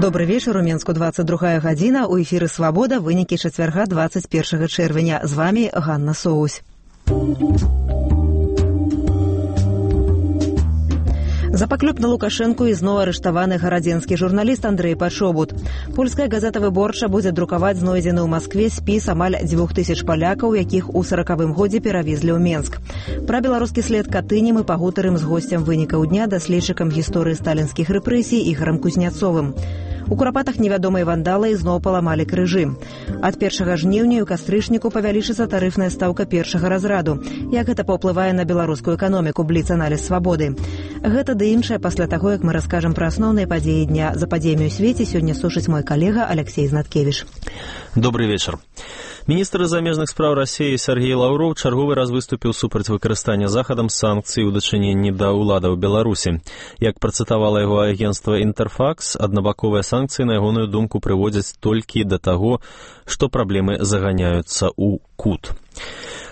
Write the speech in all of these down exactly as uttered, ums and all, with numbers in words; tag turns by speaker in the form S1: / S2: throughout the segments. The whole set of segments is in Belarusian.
S1: Добрый вечер, у Менску двадцать другая гадзіна, у эфіры «Свабода», вынікі чацвярга двадцать першага чэрвеня. З вами Ганна Соусь. За паклёп на Лукашэнку ізноў арыштаваны гарадзенскі журналіст Андрэй Пачобут. Польская газета «Выборча» будзе друкаваць знойдзены ў Маскве спіс амаль дзвюх тысяч палякаў, якіх у саракавым годзе перавезлі ў Менск. Пра беларускі след Катыні мы пагутарым з госцем вынікаў дня, даследчыкам гісторыі сталінскіх рэпрэсій Ігорам Кузняцовым. У Курапатах невядомыя вандалы ізноў паламалі крыжы. Ад першага жніўня ў кастрычніку павялічыцца тарыфная стаўка першага разраду. Як гэта паўплывае на беларускую эканоміку, бліц-аналіз «Свабоды». Гэта ды іншае пасля таго, як мы раскажам пра асноўныя падзеі дня. За падзеямі ў свеце сёння сушыць мой калега Алексей Знаткевіч.
S2: Добрый вечар. Міністр замежных спраў Расіі Сергей Лаўроў чарговы раз выступіў супраць выкарыстання захадам санкцый у дачыненні да ўладаў Беларусі. Як працытавала яго агенцтва «Інтэрфакс», аднабаковыя санкцыі, на ягоную думку, прыводзяць толькі да таго, што праблемы заганяюцца ў кут.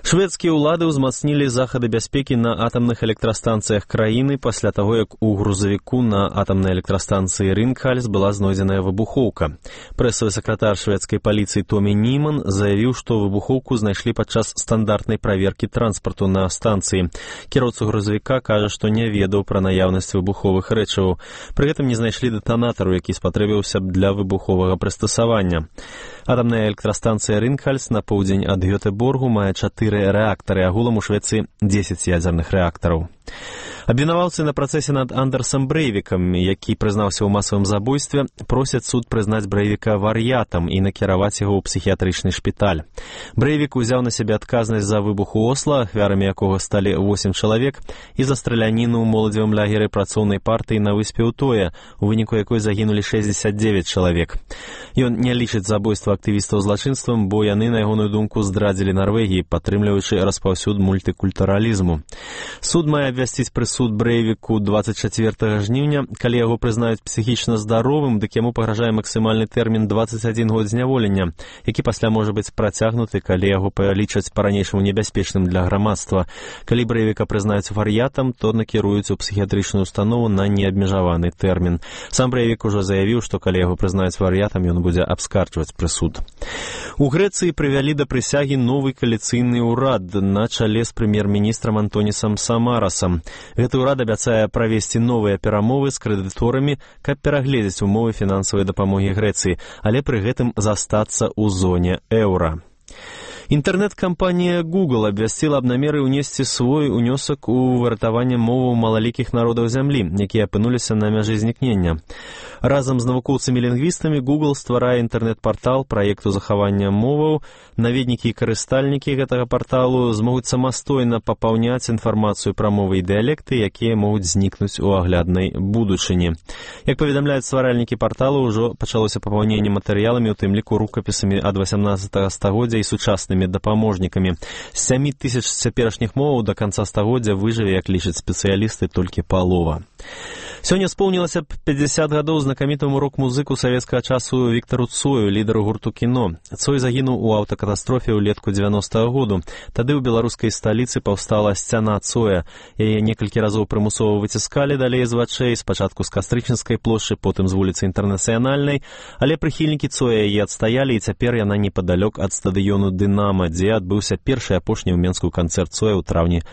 S2: Шведскія ўлады ўзмацнілі захады бяспекі на атамных электрастанцыях краіны пасля таго, як у грузавіку на атамнай электрастанцыі Ринкхальс была знойдзеная выбухоўка. Прэсавы сакратар шведскай паліцыі Томі Німан заявіў, што выбухоўку знайшлі падчас стандартнай праверкі транспарту на станцыі. Кіроўца грузавіка кажа, што не ведаў пра наяўнасць выбуховых рэчываў. Пры гэтым не знайшлі дэтанатару, які спатрэбіўся б для выбуховага прыстасавання. Атамная электрастанцыя Ринкхальс на поўдзень ад Гётэборгу мае чатыры рэактары, агулам у Швецыі дзесяць ядзерных рэактараў. Абвінаваўцы на працэсе над Андерсам Брэйвікам, які прызнаўся ў масавым забойстве, просяць суд прызнаць Брэйвіка вар'ятам і накіраваць яго ў псіхіятрычны шпіталь. Брэйвік узяў на сябе адказнасць за выбух у Осла, ахвярамі якога сталі восем чалавек, і за страляніну ў моладзевым лагеры працоўнай партыі на выспе Утоя, у выніку якой загінулі шэсцьдзесят дзевяць чалавек. Ён не лічыць забойства актывістаў злачынствам, бо яны, на ягоную думку, здрадзілі Нарвегіі, падтрымліваючы распаўсюд мультыкультуралізму. Суд мае абвясціць прысуд Брэйвіку двадцать чацвёртага жніўня. Калі яго прызнаюць псіхічна здаровым, дык яму пагражае максімальны тэрмін двадцать адзін год зняволення, які пасля можа быць працягнуты, калі яго палічаць па-ранейшаму небяспечным для грамадства. Калі Брэйвіка прызнаюць вар'ятам, то накіруюць у псіхіятрычную установу на неабмежаваны тэрмін. Сам Брэйвік ужо заявіў, што калі яго прызнаюць вар'ятам, ён будзе абскарджваць прысуд. У Грэцыі прывялі да прысягі новы кааліцыйны ўрад на чале з прэм'ер-міністрам Антонісам Самарасам. Гэты ўрад абяцае правесці новыя перамовы з крэдыторамі, каб перагледзець умовы фінансавай дапамогі Грэцыі, але пры гэтым застацца ў зоне еўра. Інтэрнэт-кампанія Google абвясціла аб намеры ўнесці свой унёсак у выратаванне моваў малалікіх народаў зямлі, якія апынуліся на мяжы знікнення. Разам з навукоўцамі-лінгвістамі Google стварае інтэрнэт-партал праекту захавання моваў. Наведнікі і карыстальнікі гэтага парталу змогуць самастойна папаўняць інфармацыю пра мовы і дыялекты, якія могуць знікнуць у агляднай будучыні. Як паведамляюць стваральнікі парталу, ўжо пачалося папаўненне матэрыяламі, у тым ліку рукапісамі ад васямнаццатага стагоддзя і сучаснымі дапаможнікамі. З сямі тысяч цяперашніх моваў да канца стагоддзя выжыве, як лічаць спецыялісты, толькі палова. Сёння споўнілася б пяцьдзясят гадоў знакамітаму рок-музыку савецкага часу Віктару Цою, лідару гурту «Кіно». Цой загінуў у аўтакатастрофе ўлетку дзевяностага году. Тады ў беларускай сталіцы паўстала сцяна Цоя. Яе некалькі разоў прымусова выціскалі далей з вачэй, спачатку з Кастрычніцкай плошчы, потым з вуліцы Інтэрнацыянальнай, але прыхільнікі Цоя яе адстаялі, і цяпер яна непадалёк ад стадыёну «Дынама», дзе адбыўся першы і апошні ў Менску канцэрт Цоя ў траўні